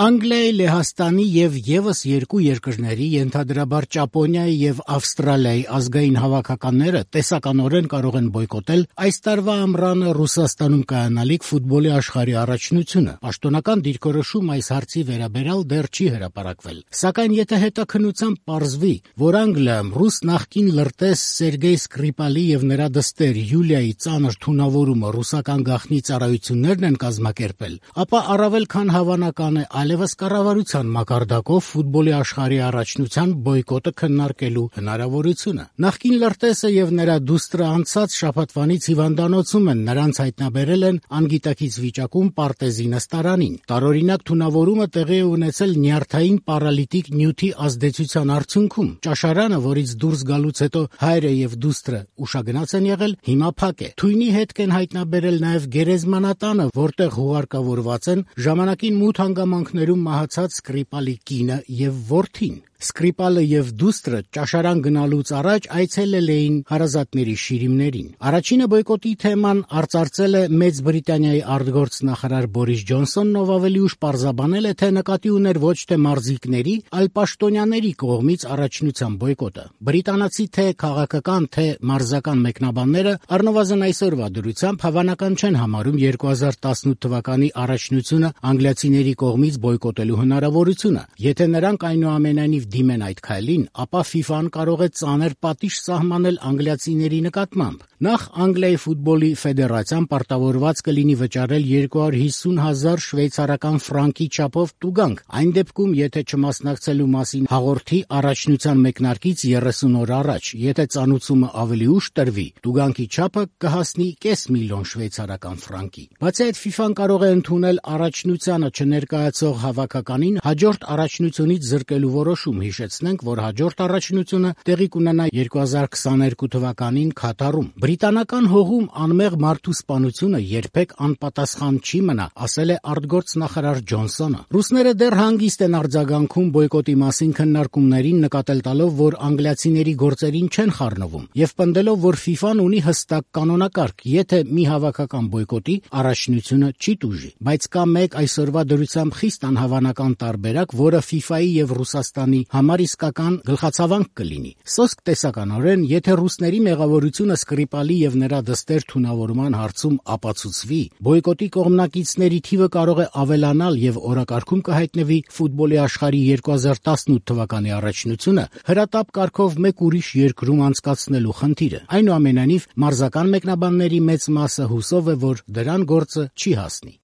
Անգլիայի, Լեհաստանի եւ եւս երկու երկրների, ենթադրաբար Ճապոնիայի եւ Ավստրալիայի ազգային հավաքականները տեսականորեն կարող են բոյկոտել այս տարվա ամռանը Ռուսաստանում կայանալիք ֆուտբոլի աշխարհի առաջնությունը։ Պաշտոնական դիրքորոշում այս հարցի վերաբերյալ դեռ չի հրապարակվել։ Սակայն եթե հետաքննությամբ պարզվի, որ Անգլիայում ռուս նախկին լրտես Սերգեյ Սկրիպալի եւ նրա դստեր Յուլիայի ծանր թունավորումը ռուսական գաղտնի ծառայություններն են կազմակերպել, ապա առավել քան հավանական է այլևս կառավարության մակարդակով ֆուտբոլի աշխարհի առաջնության բոյկոտը քննարկելու հնարավորությունը։ Նախկին լրտեսը եւ նրա դուստրը անցած շաբաթվանից հիվանդանոցում են, նրանց հայտնաբերել են անգիտակից վիճակում Պարտեզի նստարանին։ Տարօրինակ թունավորումը տեղի է ունեցել նյարդային պարալիտիկ նյութի ազդեցության արդյունքում։ Ճաշարանը, որից դուրս գալուց հետո հայրը եւ դուստրը ուշագնաց են եղել, հիմա փակ է։ Թույնի հետք են հայտնաբերել նաեւ գերեզմանատանը, որտեղ հուղարկավորված են ժամանակին մութ հանգամանքներում մահացած Սկրիպալի կինը եւ որդին։ Սկրիպալը եւ դուստրը ճաշարան գնալուց առաջ այցելել էին հարազատների շիրիմներին։ Առաջինը բոյկոտի թեման արծարծել է Մեծ Բրիտանիայի արտգործնախարար Բորիս Ջոնսոնն, ով ավելի ուշ պարզաբանել է, թե նկատի ուներ ոչ թե մարզիկների, այլ պաշտոնյաների կողմից առաջնության բոյկոտը։ Բրիտանացի թե քաղաքական, թե մարզական մեկնաբանները առնվազն այսօրվա դրությամբ հավանական չեն համարում 2018 թվականի առաջնությունը անգլիացիների կողմից բոյկոտելու հնարավորությունը։ Եթե նրանք այնուամենայնիվ դիմեն այդ քայլին, ապա FIFA-ն կարող է ծանր պատիժ սահմանել անգլիացիների նկատմամբ։ Նախ Անգլիայի ֆուտբոլի ֆեդերացիան պարտավորված կլինի վճարել 250,000 շվեյցարական ֆրանկի չափով տուգանք, այն դեպքում, եթե չմասնակցելու մասին հաղորդի առաջնության մեկնարկից 30 օր առաջ։ Եթե ծանուցումը ավելի ուշ տրվի, տուգանքի չափը կհասնի 500,000 շվեյցարական ֆրանկի։ Բացի այդ, FIFA-ն կարող է ընդունել առաջնությանը չներկայացող հավաքականին հաջորդ առաջնությունից զրկելու որոշում։ Հիշեցնենք, որ հաջորդ առաջնությունը տեղի կունենա 2022 թվականին Քաթարում։ Բրիտանական հողում անմեղ մարդու սպանությունը երբեք անպատասխան չի մնա, ասել է արտգործնախարար Ջոնսոնը։ Ռուսները դեռ հանգիստ են արձագանքում բոյկոտի մասին քննարկումներին, նկատել տալով, որ անգլիացիների գործերին չեն խառնվում, եւ պնդելով, որ FIFA-ն ունի հստակ կանոնակարգ, եթե մի հավաքական բոյկոտի, առաջնությունը չի տուժի։ Բայց կա մեկ այսօրվա դրությամբ խիստ անհավանական տարբերակ, որը FIFA-ի եւ Ռուսաստանի համար իսկական գլխացավանք կլինի։ Սոսկ տեսականորեն, եթե ռուսների մեղավորությունը Սկրիպալի եւ նրա դստեր թունավորման հարցում ապացուցվի, բոյկոտի կողմնակիցների թիվը կարող է ավելանալ եւ օրակարգում կհայտնվի ֆուտբոլի աշխարհի 2018 թվականի առաջնությունը հրատապ կարգով մեկ ուրիշ երկրում անցկացնելու խնդիրը։ Այնուամենայնիվ, մարզական մեկնաբանների մեծ մասը հուսով է, որ դրան գործը չի հասնի։